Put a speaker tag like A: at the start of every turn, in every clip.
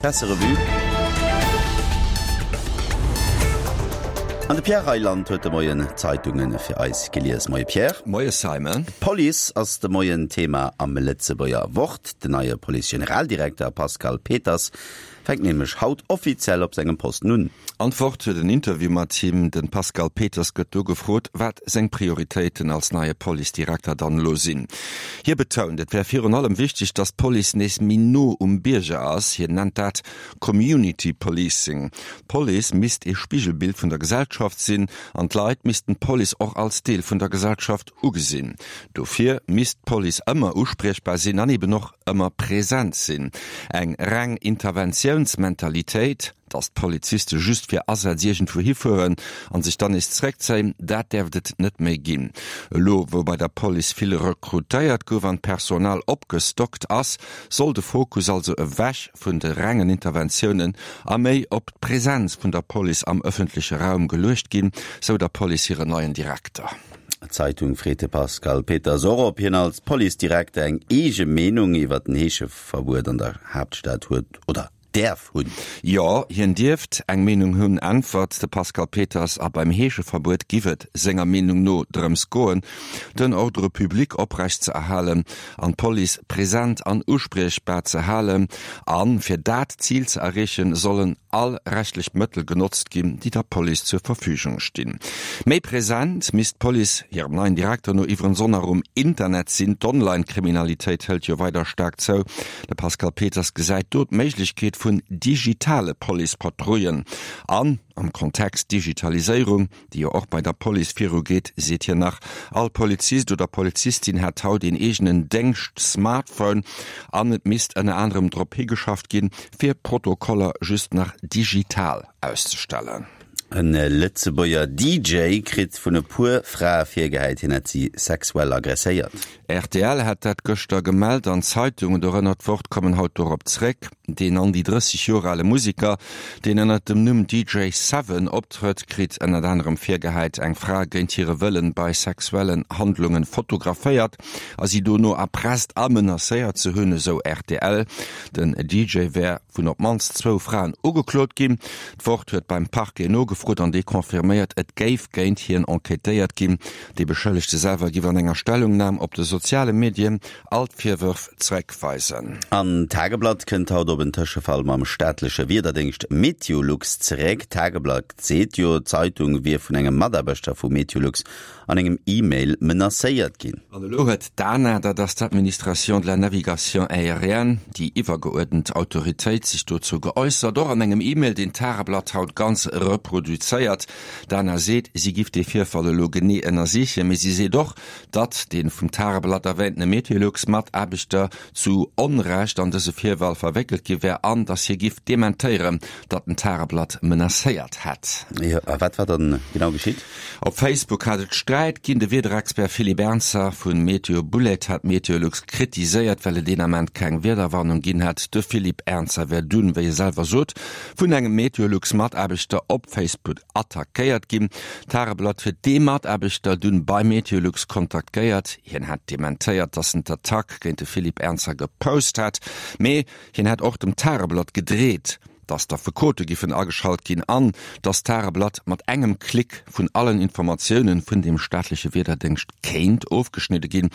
A: D'Presserevue An de Pierre Reyland huet de Moien d'Zeitunge fir eis gelies. Moie Pierre.
B: Moie Simon.
A: D'Police ass de Moien Thema am Lëtzebuerger Wort. Den neie Police-Generaldirekter Pascal Peters fänkt nämlech haut offiziell op sengem Posten un.
B: An d'Wort huet en Interview mat him. De Pascal Peters gëtt do gefrot, wat seng Prioritéiten als neie Policedirekter dann elo sinn. Hie betount, et wär virun allem wichteg, datt d'Police nees méi no um Bierger ass. Hien nennt dat Community Policing. D'Police misst ee Spigelbild vun der Gesellschaft sinn an d'Leit missten d'Police och als Deel vun der Gesellschaft ugesinn. Dofir misst d'Police ëmmer uspriechbar sinn an eben och ëmmer present sinn. Eng reng Interventiounsmentalitéit, Datt d'Poliziste just fir Asätz iergendwou hifueren an sech dann nees zeréckzéien, dat däerft et net méi ginn. Elo wou bei der Police vill rekrutéiert gouf an d'Personal opgestockt ass, soll de Fokus also ewech vun de rengen Interventiounen a méi op d'Presenz vun der Police am ëffentleche Raum geluecht ginn, sou der Police hiren neien Direkter.
A: D'Zeitung freet de Pascal Peters och, ob hien als Policedirekter eng eege Meenung iwwer den Heescheverbuet an der Haaptstad huet oder däerf hunn.
B: Jo, hien dierft eng Meenung hunn, äntwert de Pascal Peters. A beim Heescheverbuet giff et senger Meenung no drëms goen, den Ordre public oprecht ze erhalen an d'Police present an uspriechbar ze halen. A fir dat Zil ze erreechen, sollen all rechtlech Mëttel genotzt ginn, déi der Police zur Verfügung stinn. Méi present misst d'Police hirem neien Direkter no iwwerens och nach um Internet sinn. D'Online-Kriminalitéit hëlt jo weider staark zou. De Pascal Peters gesäit do d'Méiglechkeet vun digitale Police-Patrouillen. An am Kontext Digitaliséierung, déi jo och bei der Police virugeet, seet hien nach, all Polizist oder Polizistin hätt haut een eegenen Déngscht-Smartphone an et misst ënner anerem drop higeschafft ginn, fir Protokoller just nach digital auszestellen.
A: E Lëtzebuerger DJ kritt vun e puer Frae virgehäit, hien hätt si sexuell agresséiert.
B: Rtl hat dat gëschter gemellt an d'Zeitungen, dorënner d'Wort, kommen haut dorop zréck. Deen an déi 30 Joer ale Museker, deen ënnert dem Numm DJ Seven optrëtt, kritt ënnert anerem virgehäit, eng Fra géint hire Wëllen bei sexuellen Handlungen fotograféiert a si dono erpresst a menacéiert ze hunn, esou rtl. Den DJ wär vun op d'mannst zwou Fraen ugeklot ginn. D'Wort huet beim Parquet nogefrot an dee confirméiert, et géif géint hien enquêtéiert ginn. Dee Beschëllegte selwer giff an enger Stellungnam op de soziale Medien all d'Virwërf zeréckweisen.
A: An d'Tageblatt kënnt haut op en Tëschefall mam staatleche Wiederdéngscht Meteolux zeréck. D'Tageblatt seet jo, d'Zeitung wier vun engem Mataarbechter vu Meteolux an engem E-Mail menacéiert ginn.
B: An elo huet d'ANA, dat ass d'Administration de la Navigation Aérienne, déi iwwergeuerdent Autoritéit, sech dozou geäussert, och an engem E-Mail, deen d'Tageblatt haut ganz reproduzéiert. D'Ana seet, si giff dee Virfall elo genee ënnersichen, mee si seet och, datt dee vum Tageblatt erwähntene Meteolux-Mataarbechter zu Onrecht an dëse Virfall verwéckelt gi wär an datt hie giff dementéieren, datt den Tageblatt menacéiert hätt.
A: Jo, a wat war dann genau geschitt?
B: Op Facebook hat et Sträit ginn. De Wiederexpert Philippe Ernzer vu Meteo Bullet hat Meteolux kritiséiert, well et deen Ament keng Wiederwarnung ginn hätt. De Philippe Ernzer wär dunn, wéi e selwer sot, vun engem Meteolux-Mataarbechter op Facebook attackéiert ginn. D'Tageblatt huet dee Mataarbechter dunn bei Meteolux kontaktéiert. Hien hätt dementéiert, datt en d'Attack géint de Philippe Ernzer gepost hätt, mee hien hätt och dem Tageblatt gedreet, datt d'Affekote giffen ageschalt ginn an datt d'Tageblatt mat engem Klick vun allen Informatiounen vun dem staatleche Wiederdéngscht kéint ofgeschnidde ginn.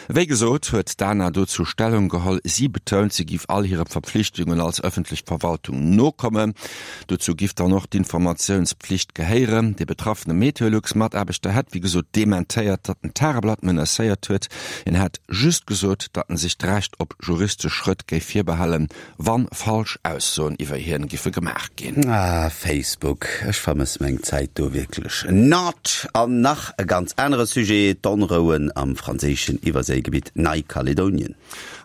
B: Wéi gesot huet d'ANA dozou Stellung geholl. Si betount, si giff all hire Verpflichtungen als ëffentlech Verwaltung nokommen. Dozou giff dann och d'Informatiounspflicht gehéieren. De betraffene Meteolux-Mataarbechter hätt wéi gesot dementéiert, datt en d'Tageblatt menacéiert huet. Hien hätt just gesot, datt en sech d'Recht op juristesch Schrëtt géif virbehalen, Wann falsch Aussoen iwwer hien giffe gemaach ginn.
A: Ah Facebook, ech vermëss meng Zäit do wierklech not. An nach e ganz anere Sujet, d'Onrouen am franséischen Iwwerséigebitt Neikaledonien.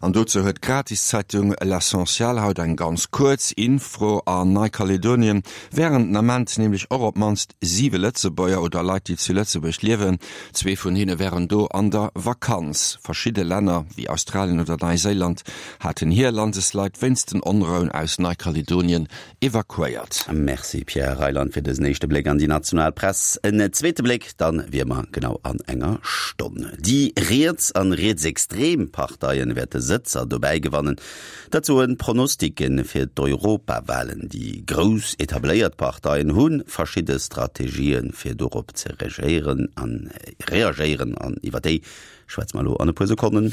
B: An dozou huet d'Gratiszeitung L'Essentiel haut eng ganz kuerz Infro. An Neikaledonien wären den Ament nämlech och op d'mannst siwe Lëtzebuerger oder Leit, déi zu Lëtzebuerg liewen. Zwee vun hinne wären do an der Vakanz. Verschidde Länner, wéi Australien oder Neiséiland, haten hir Landesleit wéinst den Onrouen aus Neikaledonien. Evakuéiert.
A: Merci Pierre Reyland fir dësen éischte Bléck an déi national Press. En zweete Bléck dann wier mer genau an enger Stonn. Déi riets an rietsextrem Parteien wäerte Sëtzer dobäi gewannen. Dat soen d'Pronosticken fir d'Europawahlen. Déi grouss etabléiert Parteien hu verschidde Strategien fir dorop ze regéieren an reagéieren an iwwer déi schwätze mer elo an e puer Sekonnen.